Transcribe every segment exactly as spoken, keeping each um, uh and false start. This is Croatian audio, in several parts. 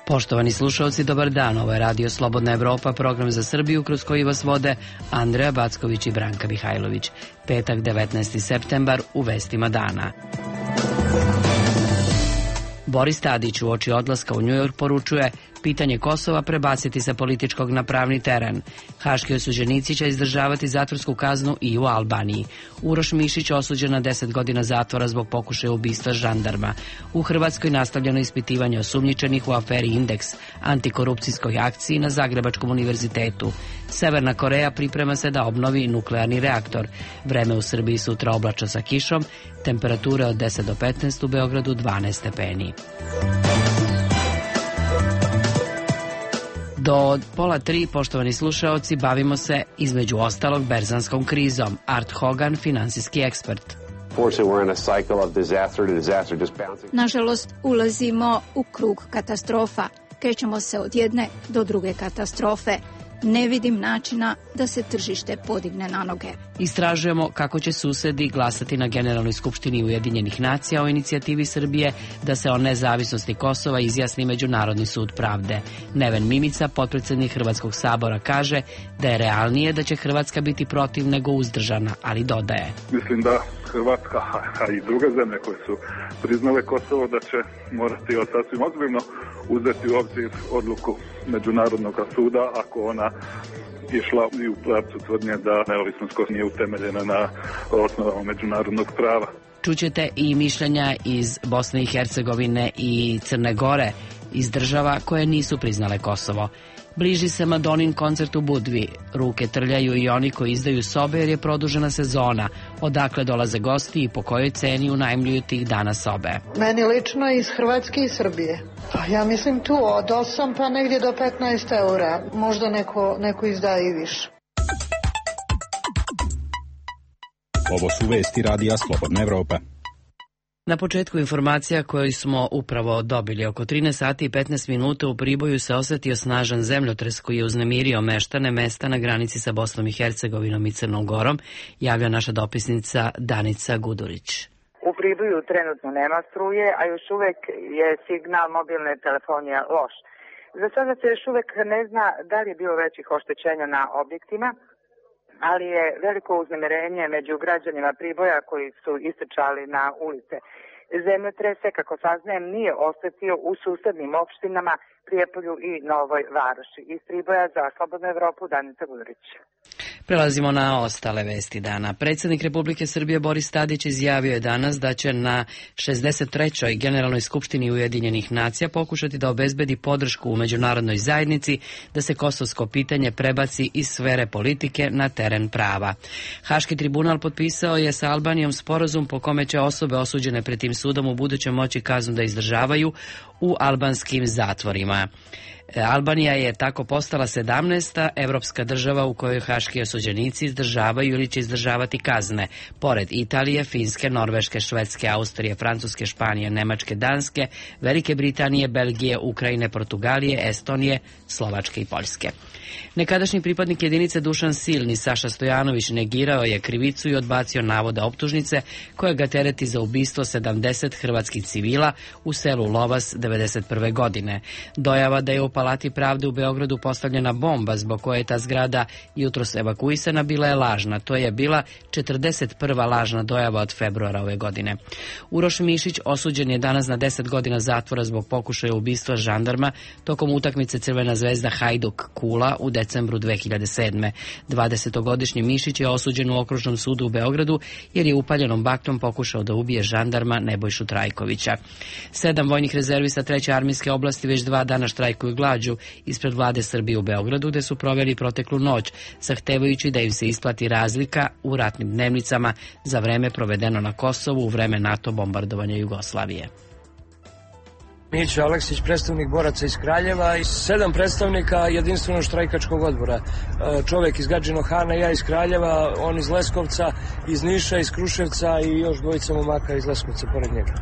Poštovani slušalci, dobar dan. Ovo je Radio Slobodna Evropa, program za Srbiju kroz koji vas vode Andreja Backović i Branka Mihajlović. Petak, devetnaesti septembar, u vestima dana. Boris Tadić uoči odlaska u Njujork poručuje: pitanje Kosova prebaciti sa političkog na pravni teren. Haški osuđenici će izdržavati zatvorsku kaznu i u Albaniji. Uroš Mišić osuđen na deset godina zatvora zbog pokušaja ubistva žandarma. U Hrvatskoj nastavljeno ispitivanje osumnjičenih u aferi Indeks, antikorupcijskoj akciji na Zagrebačkom univerzitetu. Severna Koreja priprema se da obnovi nuklearni reaktor. Vreme u Srbiji sutra oblačno sa kišom, temperature od deset do petnaest, u Beogradu dvanaest stepeni. Do pola tri, poštovani slušaoci, bavimo se između ostalog berzanskom krizom. Art Hogan, finansijski ekspert. Nažalost, ulazimo u krug katastrofa. Krećemo se od jedne do druge katastrofe. Ne vidim načina da se tržište podigne na noge. Istražujemo kako će susedi glasati na Generalnoj skupštini Ujedinjenih nacija o inicijativi Srbije da se o nezavisnosti Kosova izjasni Međunarodni sud pravde. Neven Mimica, potpredsjednik Hrvatskog sabora, kaže da je realnije da će Hrvatska biti protiv nego uzdržana, ali dodaje: Mislim da Hrvatska, a i druge zemlje koje su priznale Kosovo, da će morati sasvim ozbiljno uzeti u obzir odluku Međunarodnog suda ako ona išla i u pravcu tvrdnje da neovisnost Kosova nije utemeljena na osnovama međunarodnog prava. Čućete i mišljenja iz Bosne i Hercegovine i Crne Gore, iz država koje nisu priznale Kosovo. Bliži se Madonin koncert u Budvi. Ruke trljaju i oni koji izdaju sobe jer je produžena sezona. Odakle dolaze gosti i po kojoj ceni unajmljuju tih dana sobe? Meni lično iz Hrvatske i Srbije. Pa ja mislim tu od osam pa negdje do petnaest eura. Možda neko, neko izdaje i više. Ovo su vesti Radija Slobodna Evropa. Na početku informacija koju smo upravo dobili, oko trinaest sati i petnaest minuta u Priboju se osjetio snažan zemljotres koji je uznemirio meštane mesta na granici sa Bosnom i Hercegovinom i Crnom Gorom, javlja naša dopisnica Danica Gudurić. U Priboju trenutno nema struje, a još uvek je signal mobilne telefonije loš. Za sada se još uvek ne zna da li je bilo većih oštećenja na objektima, ali je veliko uznemirenje među građanima Priboja koji su istrčali na ulice. Zemljotrese, kako saznajem, nije osetio u susednim opštinama Prijepolju i Novoj Varoši. Iz Priboja za Slobodnu Evropu, Danica Gudurić. Prelazimo na ostale vesti dana. Predsjednik Republike Srbije Boris Tadić izjavio je danas da će na šezdeset trećoj Generalnoj skupštini Ujedinjenih nacija pokušati da obezbedi podršku u međunarodnoj zajednici da se kosovsko pitanje prebaci iz sfere politike na teren prava. Haški tribunal potpisao je sa Albanijom sporazum po kome će osobe osuđene pred tim sudom u budućem moći kaznu da izdržavaju u albanskim zatvorima. Albanija je tako postala sedamnaesta evropska država u kojoj haški osuđenici izdržavaju ili će izdržavati kazne. Pored Italije, Finske, Norveške, Švedske, Austrije, Francuske, Španije, Nemačke, Danske, Velike Britanije, Belgije, Ukrajine, Portugalije, Estonije, Slovačke i Poljske. Nekadašnji pripadnik jedinice Dušan Silni, Saša Stojanović, negirao je krivicu i odbacio navoda optužnice koje ga tereti za ubistvo sedamdeset hrvatskih civila u selu Lovas devedeset prve godine. Dojava da je u Palati pravde u Beogradu postavljena bomba zbog koje je ta zgrada jutros evakuisana bila je lažna. To je bila četrdeset prva lažna dojava od februara ove godine. Uroš Mišić osuđen je danas na deset godina zatvora zbog pokušaja ubistva žandarma tokom utakmice Crvena zvezda Hajduk Kula u decembru dve hiljade sedme. dvadesetogodišnji Mišić je osuđen u Okružnom sudu u Beogradu jer je upaljenom baklom pokušao da ubije žandarma Nebojšu Trajkovića. Sedam vojnih rezervista treće armijske oblasti već dva dana štrajkuju glađu ispred vlade Srbije u Beogradu, gde su proveli proteklu noć, zahtevajući da im se isplati razlika u ratnim dnevnicama za vreme provedeno na Kosovu u vreme NATO bombardovanja Jugoslavije. Mićo Aleksić, predstavnik boraca iz Kraljeva i sedam predstavnika jedinstvenog štrajkačkog odbora. Čovjek iz Gadžinog Hana, ja iz Kraljeva, on iz Leskovca, iz Niša, iz Kruševca i još dvojica momaka iz Leskovca pored njega.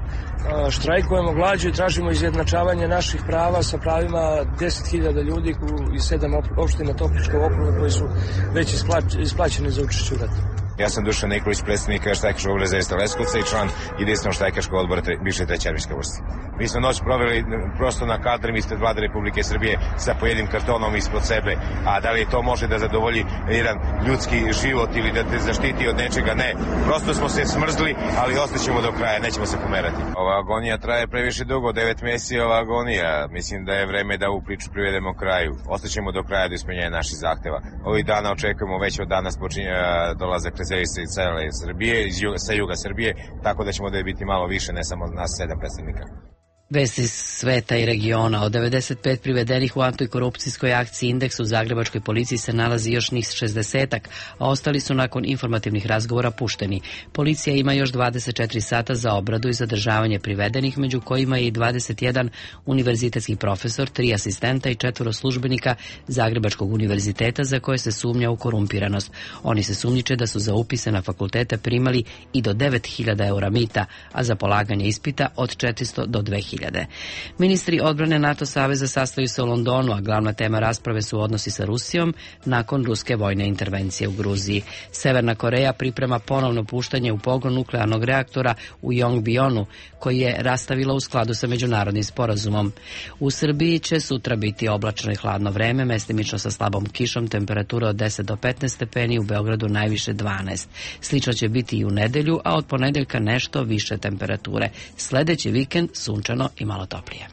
Štrajkujemo glađu i tražimo izjednačavanje naših prava sa pravima deset hiljada ljudi iz sedam opština Topličkog okruga koji su već isplaćeni za učešće u ratu. Ja sam Dušan Nikolić, predstavnik štajkaškog odbora Zaista Leskovca i član jedinstvenog štajkaškog odbora bivše treće armijske vojske. Mi smo noć proveli prosto na kadrima ispred Vlade Republike Srbije sa pojednim kartonom ispod sebe, a da li to može da zadovolji jedan ljudski život ili da te zaštiti od nečega? Ne. Prosto smo se smrzli, ali ostaćemo do kraja, nećemo se pomerati. Ova agonija traje previše dugo, devet meseci ova agonija. Mislim da je vreme da ovu priču privedemo kraju. Ostaćemo do kraja do ispunjenja naših zahteva. Ovih dana očekujemo, već od danas počinje dolazak rezervista iz cele Srbije, iz juga, sa juga Srbije, tako da ćemo da biti malo više, ne samo nas sedam predstavnika. Vesti sveta i regiona. Od devedeset pet privedenih u antikorupcijskoj akciji Indeks u zagrebačkoj policiji se nalazi još njih šezdesetak, a ostali su nakon informativnih razgovora pušteni. Policija ima još dvadeset četiri sata za obradu i zadržavanje privedenih, među kojima je i dvadeset jedan univerzitetski profesor, tri asistenta i četvoro službenika Zagrebačkog univerziteta za koje se sumnja u korumpiranost. Oni se sumnjiče da su za upise na fakultete primali i do devet hiljada eura mita, a za polaganje ispita od četiristo do dve hiljade. Ministri odbrane NATO saveza sastaju se u Londonu, a glavna tema rasprave su odnosi sa Rusijom nakon ruske vojne intervencije u Gruziji. Severna Koreja priprema ponovno puštanje u pogon nuklearnog reaktora u Yongbyon, koji je rastavila u skladu sa međunarodnim sporazumom. U Srbiji će sutra biti oblačno i hladno vreme, mestimično sa slabom kišom, temperatura od deset do petnaest stepeni, u Beogradu najviše dvanaest. Slično će biti i u nedelju, a od ponedeljka nešto više temperature. Sledeći vikend sunčano i malo toplije.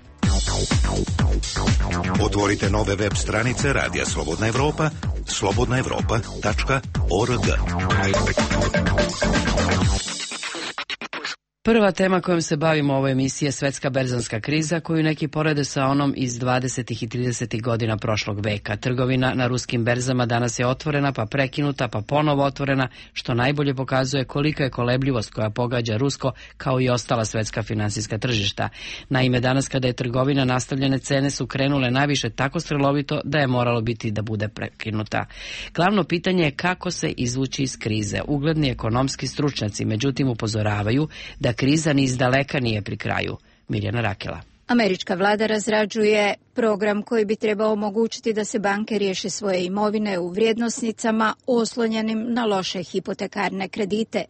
Otvorite nove web stranice Radija Slobodna Evropa, slobodna evropa tačka org. Prva tema kojom se bavimo u ovoj emisiji je svetska berzanska kriza, koju neki porede sa onom iz dvadesetih i tridesetih godina prošlog veka. Trgovina na ruskim berzama danas je otvorena, pa prekinuta, pa ponovo otvorena, što najbolje pokazuje kolika je kolebljivost koja pogađa rusko, kao i ostala svetska finansijska tržišta. Naime, danas kada je trgovina nastavljene, cene su krenule naviše tako strelovito da je moralo biti da bude prekinuta. Glavno pitanje je kako se izvući iz krize. Ugledni ekonomski stručnjaci, međutim, upozoravaju da kriza ni izdaleka nije pri kraju. Mirjana Rakela. Američka vlada razrađuje program koji bi trebao omogućiti da se banke riješe svoje imovine u vrijednosnicama oslonjenim na loše hipotekarne kredite.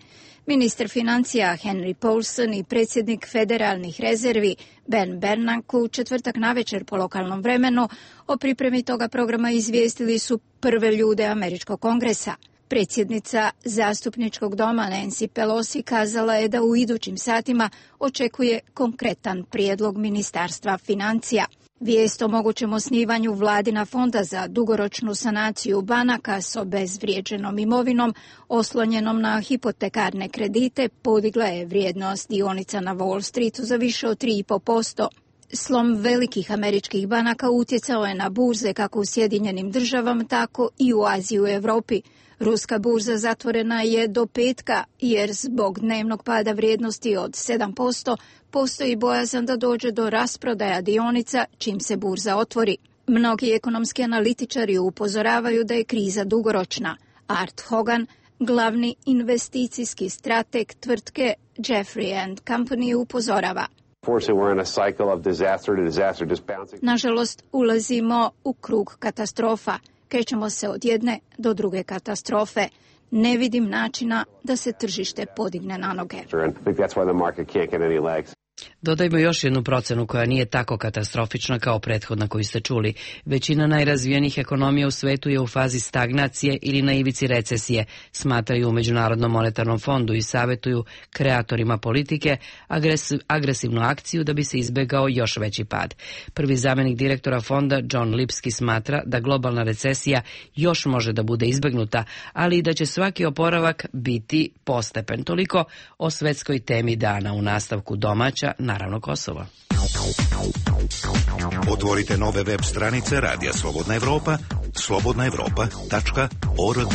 Ministar financija Henry Paulson i predsjednik federalnih rezervi Ben Bernanke u četvrtak navečer po lokalnom vremenu o pripremi toga programa izvijestili su prve ljude Američkog kongresa. Predsjednica zastupničkog doma Nancy Pelosi kazala je da u idućim satima očekuje konkretan prijedlog Ministarstva financija. Vijest o mogućem osnivanju vladina fonda za dugoročnu sanaciju banaka s obezvrijeđenom imovinom oslonjenom na hipotekarne kredite podigla je vrijednost dionica na Wall Streetu za više od tri i po posto. Slom velikih američkih banaka utjecao je na burze kako u Sjedinjenim državama, tako i u Aziji i u Europi. Ruska burza zatvorena je do petka jer zbog dnevnog pada vrijednosti od sedam posto postoji bojazan da dođe do rasprodaja dionica čim se burza otvori. Mnogi ekonomski analitičari upozoravaju da je kriza dugoročna. Art Hogan, glavni investicijski strateg tvrtke Jeffrey and Company, upozorava. Nažalost, ulazimo u krug katastrofa. Krećemo se od jedne do druge katastrofe. Ne vidim načina da se tržište podigne na noge. Dodajmo još jednu procenu koja nije tako katastrofična kao prethodna koju ste čuli. Većina najrazvijenijih ekonomija u svetu je u fazi stagnacije ili na ivici recesije, smatraju u Međunarodnom monetarnom fondu i savjetuju kreatorima politike agresiv, agresivnu akciju da bi se izbegao još veći pad. Prvi zamjenik direktora fonda John Lipski smatra da globalna recesija još može da bude izbegnuta, ali i da će svaki oporavak biti postepen. Toliko o svetskoj temi dana. U nastavku domaća, naravno Kosovo. Otvorite nove web stranice Radija Slobodna Evropa, slobodna evropa tačka org.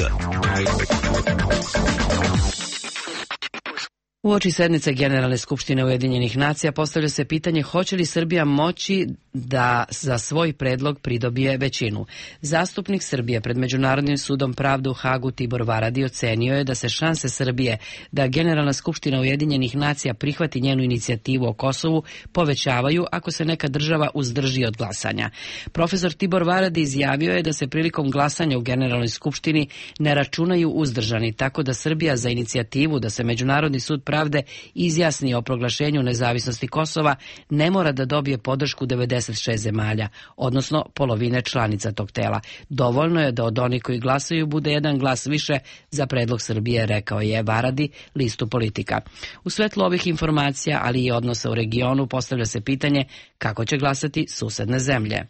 Uoči sednice Generalne skupštine Ujedinjenih nacija postavlja se pitanje hoće li Srbija moći da za svoj predlog pridobije većinu. Zastupnik Srbije pred Međunarodnim sudom pravde u Hagu Tibor Varadi ocenio je da se šanse Srbije da Generalna skupština Ujedinjenih nacija prihvati njenu inicijativu o Kosovu povećavaju ako se neka država uzdrži od glasanja. Profesor Tibor Varadi izjavio je da se prilikom glasanja u Generalnoj skupštini ne računaju uzdržani, tako da Srbija za inicijativu da se Međunarodni sud pravde izjasni o proglašenju nezavisnosti Kosova ne mora da dobije podršku devedeset šest zemalja, odnosno polovine članica tog tela. Dovoljno je da od onih koji glasaju bude jedan glas više za predlog Srbije, rekao je Varadi listu Politika. U svetlu ovih informacija, ali i odnosa u regionu, postavlja se pitanje kako će glasati susedne zemlje.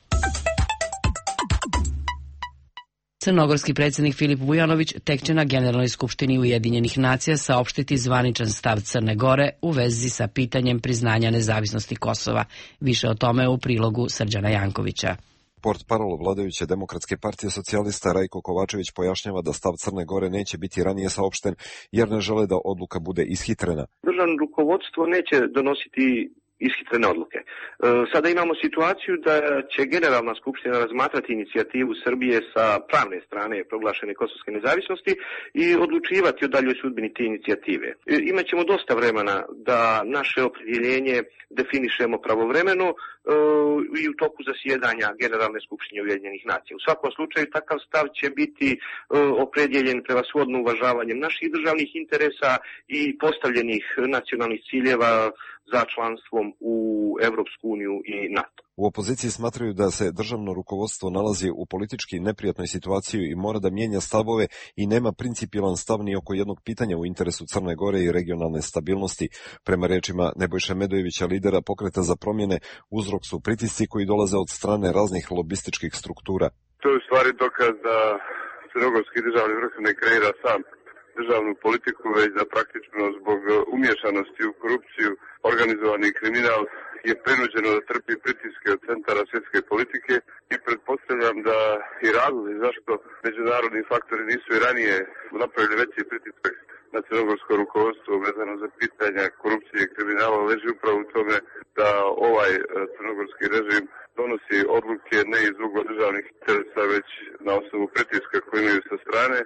Crnogorski predsjednik Filip Vujanović tek će na Generalnoj skupštini Ujedinjenih nacija saopštiti zvaničan stav Crne Gore u vezi sa pitanjem priznanja nezavisnosti Kosova. Više o tome u prilogu Srđana Jankovića. Portparol vladajuće Demokratske partije socijalista Rajko Kovačević pojašnjava da stav Crne Gore neće biti ranije saopšten jer ne žele da odluka bude ishitrena. Državno rukovodstvo neće donositi ishitrene odluke. E, sada imamo situaciju da će Generalna skupština razmatrati inicijativu Srbije sa pravne strane proglašene kosovske nezavisnosti i odlučivati o daljoj sudbini te inicijative. E, imaćemo dosta vremena da naše opredjeljenje definišemo pravovremeno e, i u toku zasjedanja Generalne skupštine Ujedinjenih nacija. U svakom slučaju takav stav će biti e, opredjeljen prevashodno uvažavanjem naših državnih interesa i postavljenih nacionalnih ciljeva za članstvom u Evropsku uniju i NATO. U opoziciji smatraju da se državno rukovodstvo nalazi u politički neprijatnoj situaciji i mora da mijenja stavove i nema principijelan stav ni oko jednog pitanja u interesu Crne Gore i regionalne stabilnosti. Prema rečima Nebojše Medojevića, lidera Pokreta za promjene, uzrok su pritisci koji dolaze od strane raznih lobističkih struktura. To je u stvari dokaz da crnogorski državni vrh ne kreira sam državnu politiku, već da praktično zbog umješanosti u korupciju organizovani kriminal je prinuđeno da trpi pritiske od centara svjetske politike i pretpostavljam da i razlozi zašto međunarodni faktori nisu i ranije napravili veći pritisak na crnogorsko rukovodstvo vezano za pitanja korupcije i kriminala leži upravo u tome da ovaj crnogorski režim donosi odluke ne iz ugodržavnih interesa, već na osnovu pritiska koji imaju sa strane.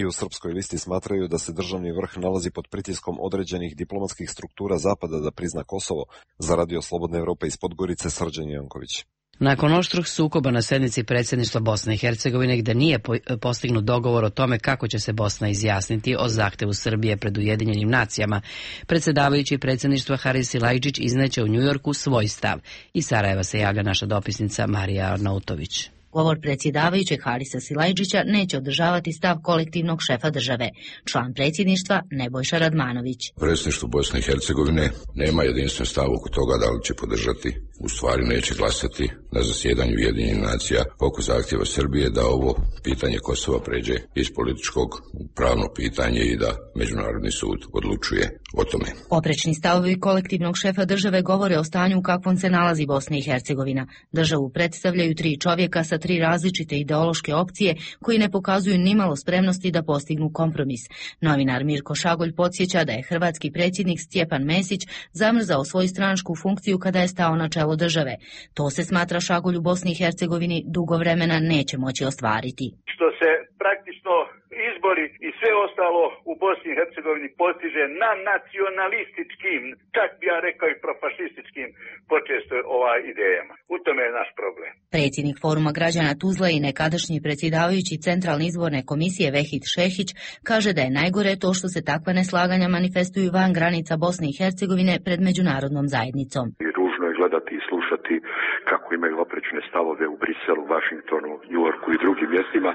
I u Srpskoj listi smatraju da se državni vrh nalazi pod pritiskom određenih diplomatskih struktura Zapada da prizna Kosovo. Za Radio Slobodne Evrope iz Podgorice, Srđan Janković. Nakon oštrog sukoba na sednici predsjedništva Bosne i Hercegovine, gde nije postignut dogovor o tome kako će se Bosna izjasniti o zahtevu Srbije pred Ujedinjenim nacijama, predsjedavajući predsjedništva Haris Silajdžić izneće u Njujorku svoj stav. Iz Sarajeva se javlja naša dopisnica Marija Arnautović. Govor predsjedavajućeg Harisa Silajdžića neće održavati stav kolektivnog šefa države, član predsjedništva Nebojša Radmanović. Predsjedništvo Bosne i Hercegovine nema jedinstven stav oko toga da li će podržati, u stvari neće glasati na zasjedanju Ujedinjenih nacija oko zahtjeva Srbije da ovo pitanje Kosova pređe iz političkog u pravno pitanje i da Međunarodni sud odlučuje o tome. Oprečni stavovi kolektivnog šefa države govore o stanju u kakvom se nalazi Bosna i Hercegovina. Državu predstavljaju tri čovjeka sa tri različite ideološke opcije koji ne pokazuju nimalo spremnosti da postignu kompromis. Novinar Mirko Šagolj podsjeća da je hrvatski predsjednik Stjepan Mesić zamrzao svoju stranačku funkciju kada je stao na čelo države. To se, smatra Šagolj, u Bosni i Hercegovini dugo vremena neće moći ostvariti. Što se praktično izbori i sve ostalo u Bosni i Hercegovini postiže na nacionalističkim, čak bi ja rekao i profašističkim počesto ovaj idejama. U tome je naš problem. Predsjednik Foruma građana Tuzla i nekadašnji predsjedavajući Centralne izborne komisije Vehid Šehić kaže da je najgore to što se takva neslaganja manifestuju van granica Bosne i Hercegovine pred međunarodnom zajednicom. I ružno je gledati i slušati kako imaju oprečne stavove u Briselu, Vašingtonu, Njujorku i drugim mjestima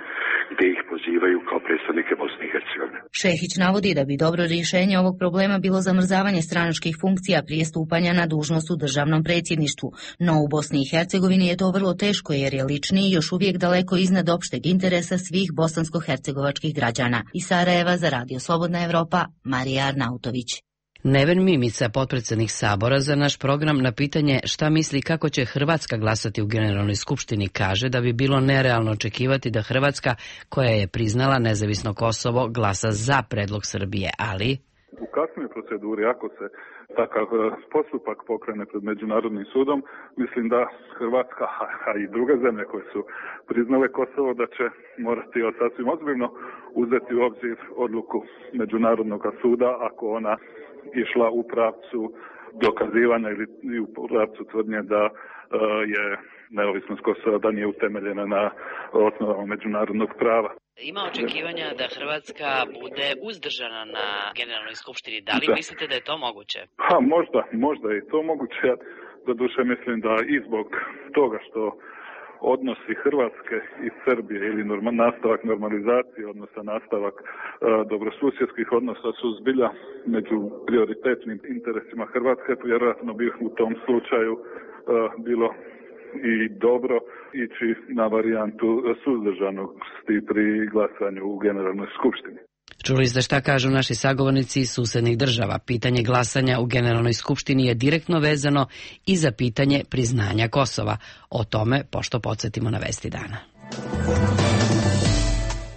gdje ih pozivaju kao predstavnike Bosne i Hercegovine. Šehić navodi da bi dobro rješenje ovog problema bilo zamrzavanje stranačkih funkcija prije stupanja na dužnost u državnom predsjedništvu. No u Bosni i Hercegovini je to vrlo teško jer je lični i još uvijek daleko iznad opšteg interesa svih bosansko-hercegovačkih građana. Iz Sarajeva za Radio Slobodna Evropa, Marija Arnautović. Neven Mimica, potpredsjednik Sabora, za naš program na pitanje šta misli kako će Hrvatska glasati u Generalnoj skupštini kaže da bi bilo nerealno očekivati da Hrvatska, koja je priznala nezavisno Kosovo, glasa za predlog Srbije, ali... U kasnijoj proceduri, ako se takav postupak pokrene pred Međunarodnim sudom, mislim da Hrvatska, a i druge zemlje koje su priznale Kosovo, da će morati sasvim ozbiljno uzeti u obzir odluku Međunarodnog suda ako ona išla u pravcu dokazivanja ili u pravcu tvrdnje da je neovisnost Kosova da nije utemeljena na osnovama međunarodnog prava. Ima očekivanja da Hrvatska bude uzdržana na Generalnoj skupštini. Da li da. mislite da je to moguće? Ha, možda, možda je to moguće. Ja doduše mislim da i zbog toga što odnosi Hrvatske i Srbije ili norma, nastavak normalizacije odnosa, nastavak e, dobrosusjedskih odnosa su zbilja među prioritetnim interesima Hrvatske, vjerojatno bi u tom slučaju e, bilo i dobro ići na varijantu suzdržanosti pri glasanju u Generalnoj skupštini. Čuli ste šta kažu naši sagovornici iz susednih država. Pitanje glasanja u Generalnoj skupštini je direktno vezano i za pitanje priznanja Kosova. O tome pošto podsjetimo na vesti dana.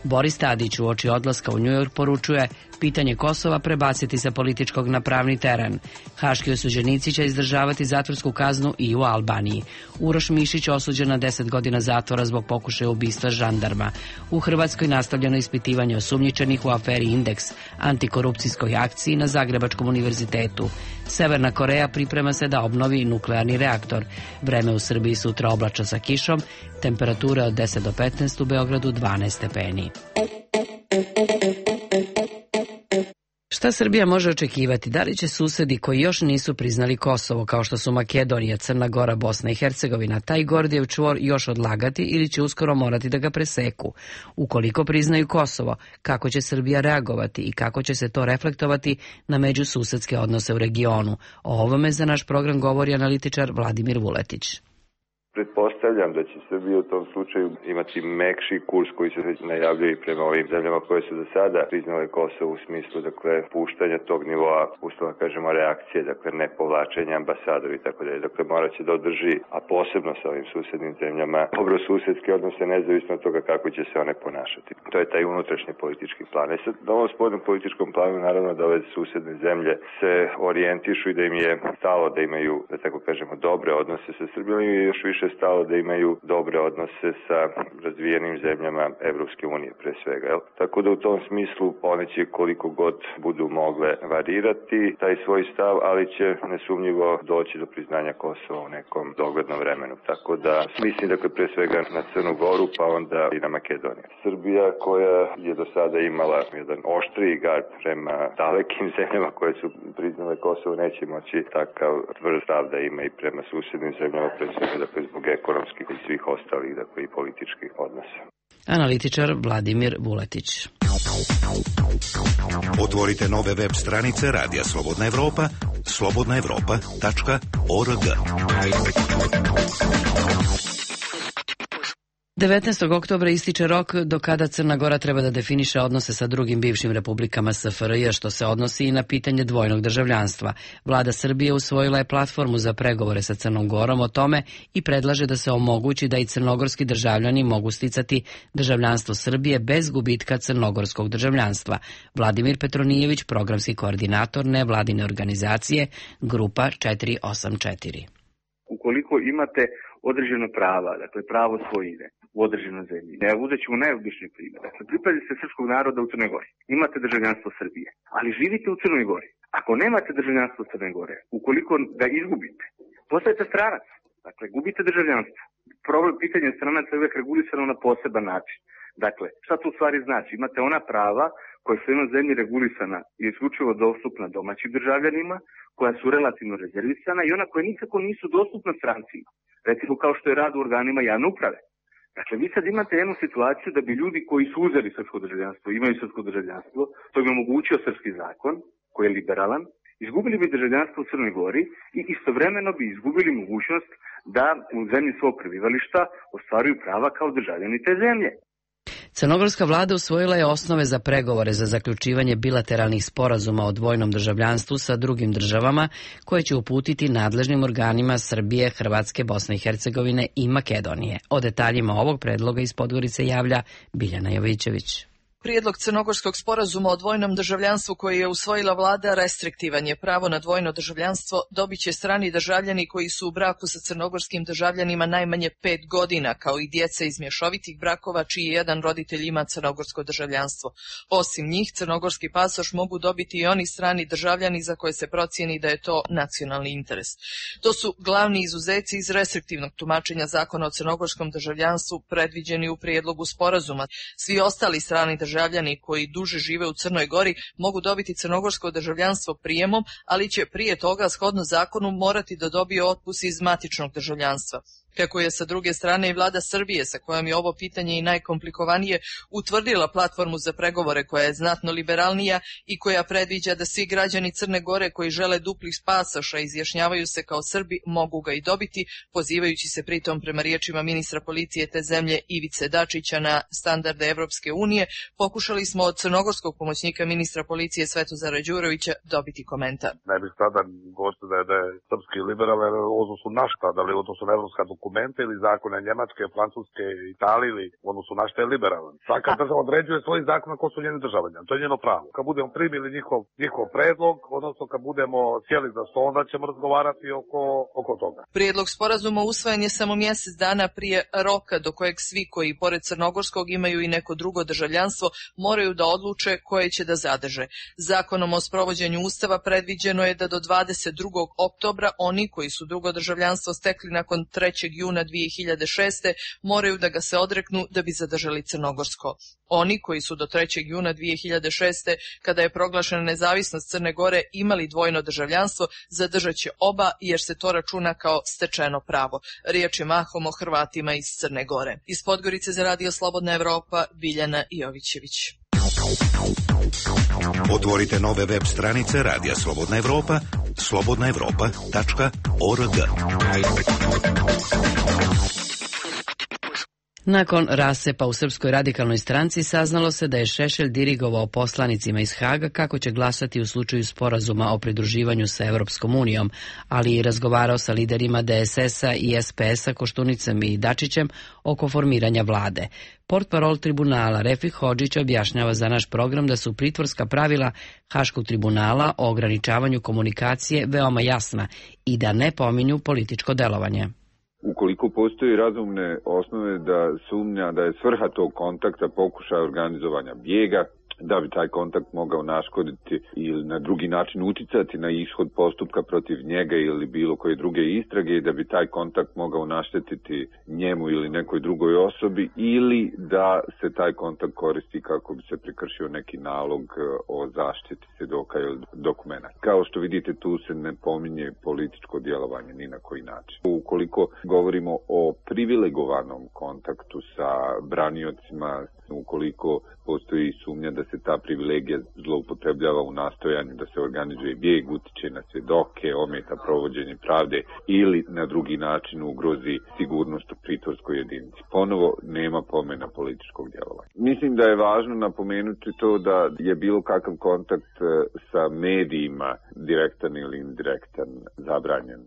Boris Tadić uoči odlaska u Njujork poručuje pitanje Kosova prebaciti sa političkog na pravni teren. Haški osuđenici će izdržavati zatvorsku kaznu i u Albaniji. Uroš Mišić osuđen na deset godina zatvora zbog pokušaja ubistva žandarma. U Hrvatskoj nastavljeno ispitivanje osumnjičenih u aferi Indeks, antikorupcijskoj akciji na Zagrebačkom univerzitetu. Severna Koreja priprema se da obnovi nuklearni reaktor. Vreme u Srbiji sutra oblačno sa kišom, temperatura od deset do petnaest, u Beogradu dvanaest stepeni. Šta Srbija može očekivati? Da li će susedi koji još nisu priznali Kosovo, kao što su Makedonija, Crna Gora, Bosna i Hercegovina, taj Gordijev čvor još odlagati ili će uskoro morati da ga preseku? Ukoliko priznaju Kosovo, kako će Srbija reagovati i kako će se to reflektovati na međususedske odnose u regionu? O ovome za naš program govori analitičar Vladimir Vuletić. Pretpostavljam da će Srbija u tom slučaju imati mekši kurs koji se već najavljaju prema ovim zemljama koje su do sada priznale Kosovo u smislu, dakle, puštanja tog nivoa, ustavno kažemo, reakcije, dakle, ne povlačenja ambasadora i tako dalje. Dakle, morat će da održi, a posebno sa ovim susednim zemljama, dobro susedske odnose nezavisno od toga kako će se one ponašati. To je taj unutrašnji politički plan. E sad, na ovom spoljnom političkom planu, naravno da ove susedne zemlje se orijentišu i da im je stalo da imaju, da tako kažemo, dobre odnose sa Srbijom i još više stalo da imaju dobre odnose sa razvijenim zemljama Evropske unije pre svega. Jel? Tako da u tom smislu one će koliko god budu mogle varirati taj svoj stav, ali će nesumnjivo doći do priznanja Kosova u nekom doglednom vremenu. Tako da mislim dakle pre svega na Crnu Goru pa onda i na Makedoniju. Srbija koja je do sada imala jedan oštriji gard prema dalekim zemljama koje su priznale Kosovo neće moći takav tvrd stav da ima i prema susednim zemljama pre svega dakle zbog ekonomskih i svih ostalih, dakle i političkih odnosa. Analitičar Vladimir Vuletić. Otvorite nove web stranice Radija Slobodna Evropa, slobodna evropa tačka org. devetnaestog oktobra ističe rok do kada Crna Gora treba da definiše odnose sa drugim bivšim republikama S F R J, što se odnosi i na pitanje dvojnog državljanstva. Vlada Srbije usvojila je platformu za pregovore sa Crnom Gorom o tome i predlaže da se omogući da i crnogorski državljani mogu sticati državljanstvo Srbije bez gubitka crnogorskog državljanstva. Vladimir Petronijević, programski koordinator nevladine organizacije Grupa četiri osam četiri. Ukoliko imate određena prava, dakle pravo svojine u određenoj zemlji. Ja uzet ću najobičniji primjer. Dakle, pripadate srpskog naroda u Crnoj Gori. Imate državljanstvo Srbije, ali živite u Crnoj Gori. Ako nemate državljanstvo Crne Gore, ukoliko ga izgubite, postajete stranac. Dakle, gubite državljanstvo. Problem pitanja stranaca je uvijek regulisano na poseban način. Dakle, šta to u stvari znači? Imate ona prava koja su na zemlji regulisana i isključivo dostupna domaćim državljanima, koja su relativno rezervisana i ona koja nikako nisu dostupna strancima. Recimo kao što je rad u organima javne uprave. Dakle, vi sad imate jednu situaciju da bi ljudi koji su uzeli srpsko državljanstvo, imaju srpsko državljanstvo, to bi omogućio srpski zakon, koji je liberalan, izgubili bi državljanstvo u Crnoj Gori i istovremeno bi izgubili mogućnost da u zemlji svog prebivališta ostvaruju prava kao državljani te zemlje. Crnogorska vlada usvojila je osnove za pregovore za zaključivanje bilateralnih sporazuma o dvojnom državljanstvu sa drugim državama koje će uputiti nadležnim organima Srbije, Hrvatske, Bosne i Hercegovine i Makedonije. O detaljima ovog predloga iz Podgorice javlja Biljana Jovićević. Prijedlog crnogorskog sporazuma o dvojnom državljanstvu koji je usvojila vlada restriktivan je. Pravo na dvojno državljanstvo dobit će strani državljani koji su u braku sa crnogorskim državljanima najmanje pet godina, kao i djeca iz mješovitih brakova čiji jedan roditelj ima crnogorsko državljanstvo. Osim njih, crnogorski pasoš mogu dobiti i oni strani državljani za koje se procijeni da je to nacionalni interes. To su glavni izuzeci iz restriktivnog tumačenja zakona o crnogorskom državljanstvu predviđeni u prijedlogu sporazuma. Svi ostali strani državljani koji duže žive u Crnoj Gori mogu dobiti crnogorsko državljanstvo prijemom, ali će prije toga shodno zakonu morati da dobije otpust iz matičnog državljanstva. Kako je sa druge strane i vlada Srbije, sa kojom je ovo pitanje i najkomplikovanije, utvrdila platformu za pregovore koja je znatno liberalnija i koja predviđa da svi građani Crne Gore koji žele duplih pasoša i izjašnjavaju se kao Srbi mogu ga i dobiti, pozivajući se pritom prema riječima ministra policije te zemlje Ivice Dačića na standarde Evropske unije, pokušali smo od crnogorskog pomoćnika ministra policije Svetozara Đurovića dobiti komentar. Ne bih sada govorio da je, da je srpski liberalan u odnosu na šta, da li u odnosu na evropska dokumente ili zakone Njemačke, Francuske, Italije ili u odnosu na šta je liberalan. Svaka država određuje svoj zakon ko su njeni državljani. To je njeno pravo. Kad budemo primili njihov, njihov predlog, odnosno kad budemo sjeli za sto, onda ćemo razgovarati oko, oko toga. Prijedlog sporazuma usvojen je samo mjesec dana prije roka do kojeg svi koji pored crnogorskog imaju i neko drugo državljanstvo moraju da odluče koje će da zadrže. Zakonom o sprovođenju Ustava predviđeno je da do dvadeset drugog oktobra oni koji su drugo državljanstvo stekli nakon trećeg juna dvije hiljade šeste moraju da ga se odreknu da bi zadržali crnogorsko. Oni koji su do trećeg juna dvije hiljade šeste, kada je proglašena nezavisnost Crne Gore, imali dvojno državljanstvo, zadržat će oba jer se to računa kao stečeno pravo. Riječ je mahom o Hrvatima iz Crne Gore. Iz Podgorice za Radio Slobodna Evropa, Biljana Jovićević. Otvorite nove web stranice Radija Slobodna Evropa, slobodna evropa tačka org. Nakon rasepa u Srpskoj radikalnoj stranci saznalo se da je Šešelj dirigovao poslanicima iz Haga kako će glasati u slučaju sporazuma o pridruživanju sa Evropskom unijom, ali i razgovarao sa liderima D S S-a i S P S-a Koštunicom i Dačićem oko formiranja vlade. Portparol tribunala Refik Hodžić objašnjava za naš program da su pritvorska pravila Haškog tribunala o ograničavanju komunikacije veoma jasna i da ne pominju političko delovanje. Ukoliko postoji razumne osnove da sumnja da je svrha tog kontakta pokušaj organizovanja bijega, da bi taj kontakt mogao naškoditi ili na drugi način uticati na ishod postupka protiv njega ili bilo koje druge istrage i da bi taj kontakt mogao naštetiti njemu ili nekoj drugoj osobi ili da se taj kontakt koristi kako bi se prekršio neki nalog o zaštiti svjedoka ili dokumenta. Kao što vidite, tu se ne pominje političko djelovanje ni na koji način. Ukoliko govorimo o privilegovanom kontaktu sa braniocima, ukoliko postoji sumnja da se ta privilegija zloupotrebljava u nastojanju da se organizuje bijeg, utiče na svjedoke, ometa provođenje pravde ili na drugi način ugrozi sigurnost u pritvorskoj jedinici. Ponovo nema pomena političkog djelovanja. Mislim da je važno napomenuti to da je bilo kakav kontakt sa medijima, direktan ili indirektan, zabranjen.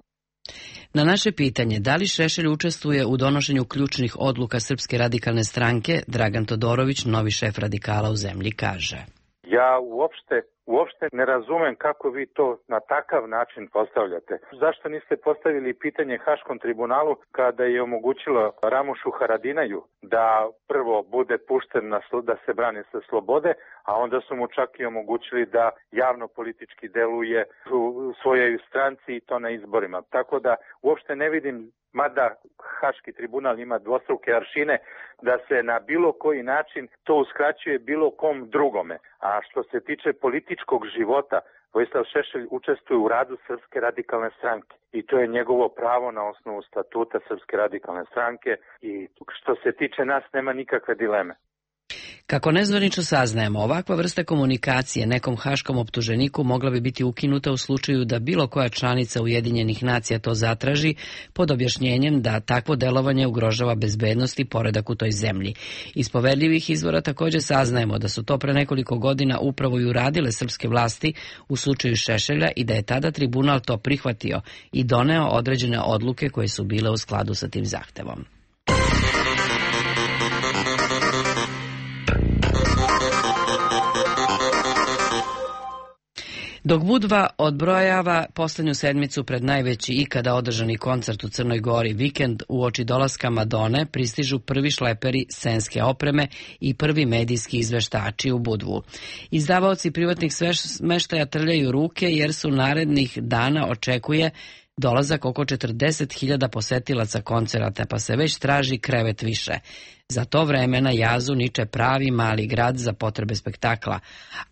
Na naše pitanje da li Šešelj učestvuje u donošenju ključnih odluka Srpske radikalne stranke, Dragan Todorović, novi šef radikala u zemlji, kaže: Ja uopšte Uopšte ne razumem kako vi to na takav način postavljate. Zašto niste postavili pitanje Haškom tribunalu kada je omogućilo Ramušu Haradinaju da prvo bude pušten na sl- da se brani sa slobode, a onda su mu čak i omogućili da javno politički deluje u svojoj stranci i to na izborima. Tako da uopšte ne vidim, mada Haški tribunal ima dvostruke aršine, da se na bilo koji način to uskraćuje bilo kom drugome. A što se tiče političkog života, Vojislav Šešelj učestvuje u radu Srpske radikalne stranke i to je njegovo pravo na osnovu statuta Srpske radikalne stranke i što se tiče nas nema nikakve dileme. Kako nezvanično saznajemo, ovakva vrsta komunikacije nekom haškom optuženiku mogla bi biti ukinuta u slučaju da bilo koja članica Ujedinjenih nacija to zatraži, pod objašnjenjem da takvo delovanje ugrožava bezbednost i poredak u toj zemlji. Iz poverljivih izvora također saznajemo da su to pre nekoliko godina upravo i uradile srpske vlasti u slučaju Šešelja i da je tada tribunal to prihvatio i doneo određene odluke koje su bile u skladu sa tim zahtevom. Dok Budva odbrojava poslednju sedmicu pred najveći ikada održani koncert u Crnoj Gori, vikend uoči dolaska Madone, pristižu prvi šleperi scenske opreme i prvi medijski izveštači u Budvu. Izdavaoci privatnih smeštaja trljaju ruke jer su narednih dana očekuje dolazak oko četrdeset hiljada posetilaca koncerata, pa se već traži krevet više. Za to vreme na jazu niče pravi mali grad za potrebe spektakla,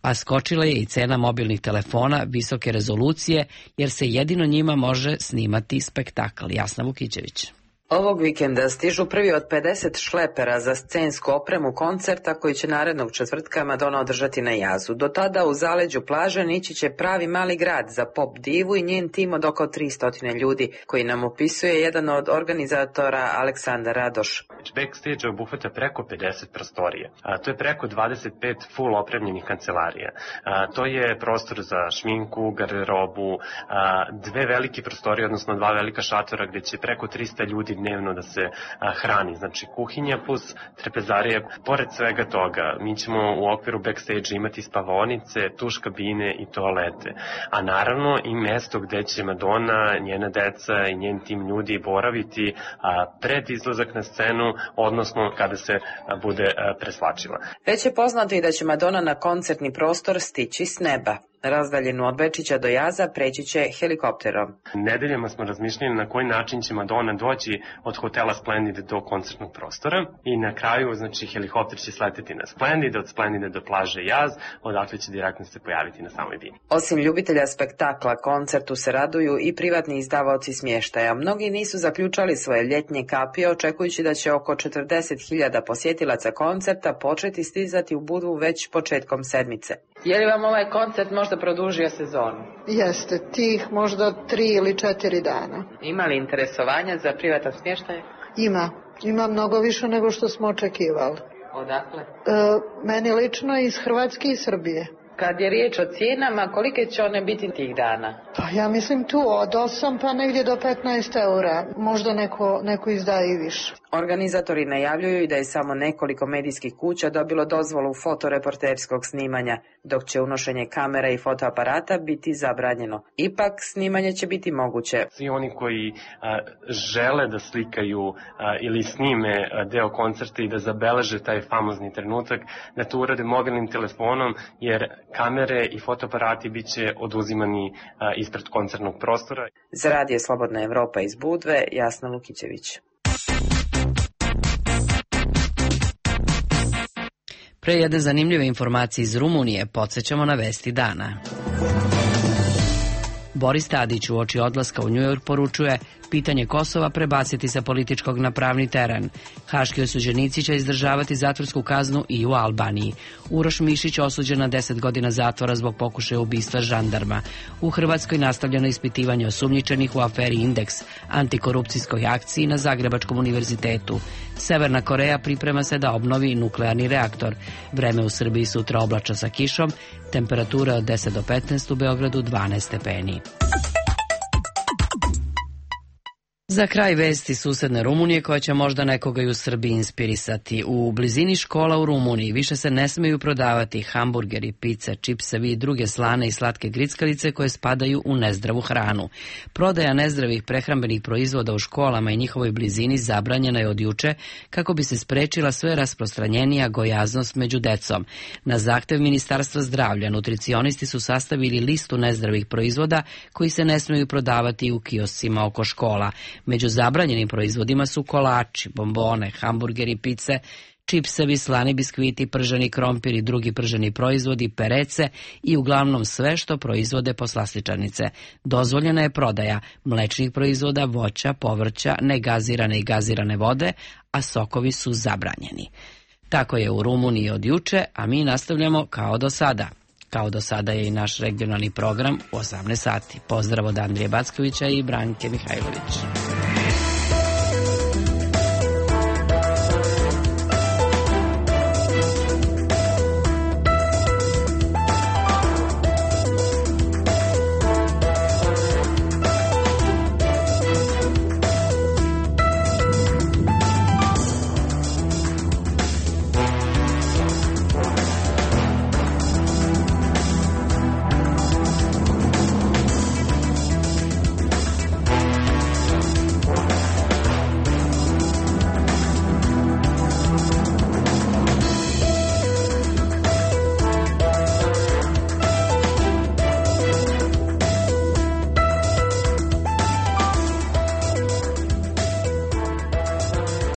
a skočila je i cena mobilnih telefona visoke rezolucije, jer se jedino njima može snimati spektakl. Jasna Vukićević. Ovog vikenda stižu prvi od pedeset šlepera za scensku opremu koncerta koji će narednog četvrtka Madonna održati na jazu. Do tada u zaleđu plaže nići će pravi mali grad za pop divu i njen tim od oko tristo ljudi, koji nam opisuje jedan od organizatora Aleksandar Radoš. Backstage obuhvata preko pedeset prostorija. A, to je preko dvadeset pet full opremljenih kancelarija. A, to je prostor za šminku, garderobu, a, dve velike prostorije, odnosno dva velika šatora gde će preko trista ljudi dnevno da se a, hrani. Znači kuhinja plus trpezarije. Pored svega toga, mi ćemo u okviru backstage imati spavaonice, tuš kabine i toalete. A naravno i mesto gde će Madonna, njena deca i njen tim ljudi boraviti a, pred izlazak na scenu, odnosno kada se a, bude a, preslačila. Već je poznato i da će Madonna na koncertni prostor stići s neba. Razdaljenu od Bečića do jaza preći će helikopterom. Nedeljama smo razmišljali na koji način će Madonna doći od hotela Splendid do koncertnog prostora i na kraju, znači, helikopter će sleteti na Splendid, od Splendida do plaže Jaz, odakle će direktno se pojaviti na samoj bini. Osim ljubitelja spektakla, koncertu se raduju i privatni izdavaoci smještaja. Mnogi nisu zaključali svoje ljetnje kapije, očekujući da će oko četrdeset hiljada posjetilaca koncerta početi stizati u Budvu već početkom sedmice. Je li vam ovaj koncert možda produžio sezonu? Jeste, tih možda tri ili četiri dana. Ima li interesovanja za privatan smještaj? Ima, ima mnogo više nego što smo očekivali. Odakle? E, meni lično iz Hrvatske i Srbije. Kad je riječ o cijenama, kolike će one biti tih dana? Pa ja mislim tu od osam pa negdje do petnaest eura. Možda neko, neko izdaje i više. Organizatori najavljuju i da je samo nekoliko medijskih kuća dobilo dozvolu fotoreporterskog snimanja, dok će unošenje kamera i fotoaparata biti zabranjeno. Ipak snimanje će biti moguće. Svi oni koji a, žele da slikaju a, ili snime a, deo koncerta i da zabeleže taj famozni trenutak, da to urade mobilnim telefonom, jer kamere i fotoaparati bit će oduzimani a, ispred koncertnog prostora. Za Radio Slobodna Evropa iz Budve, Jasna Lukićević. Pre jedne zanimljive informacije iz Rumunije podsjećamo na vesti dana. Boris Tadić uoči odlaska u Njujork poručuje: pitanje Kosova prebaciti sa političkog na pravni teren. Haški osuđenici će izdržavati zatvorsku kaznu i u Albaniji. Uroš Mišić osuđen na deset godina zatvora zbog pokušaja ubistva žandarma. U Hrvatskoj nastavljeno ispitivanje osumnjičenih u aferi Indeks, antikorupcijskoj akciji na Zagrebačkom univerzitetu. Severna Koreja priprema se da obnovi nuklearni reaktor. Vreme u Srbiji sutra oblačno sa kišom, temperatura od deset do petnaest, u Beogradu dvanaest stepeni. Za kraj vesti susedne Rumunije koja će možda nekoga i u Srbiji inspirisati. U blizini škola u Rumuniji više se ne smeju prodavati hamburgeri, pice, čipsevi i druge slane i slatke grickalice koje spadaju u nezdravu hranu. Prodaja nezdravih prehrambenih proizvoda u školama i njihovoj blizini zabranjena je od juče kako bi se sprečila sve rasprostranjenija gojaznost među decom. Na zahtev Ministarstva zdravlja nutricionisti su sastavili listu nezdravih proizvoda koji se ne smeju prodavati u kioscima oko škola. Među zabranjenim proizvodima su kolači, bombone, hamburgeri, pice, čipsevi, slani biskviti, prženi krompir i drugi prženi proizvodi, perece i uglavnom sve što proizvode poslastičarnice. Dozvoljena je prodaja mlečnih proizvoda, voća, povrća, negazirane i gazirane vode, a sokovi su zabranjeni. Tako je u Rumuniji od juče, a mi nastavljamo kao do sada. Kao do sada je i naš regionalni program u osamnaest sati. Pozdrav od Andrije Backovića i Branke Mihajlović.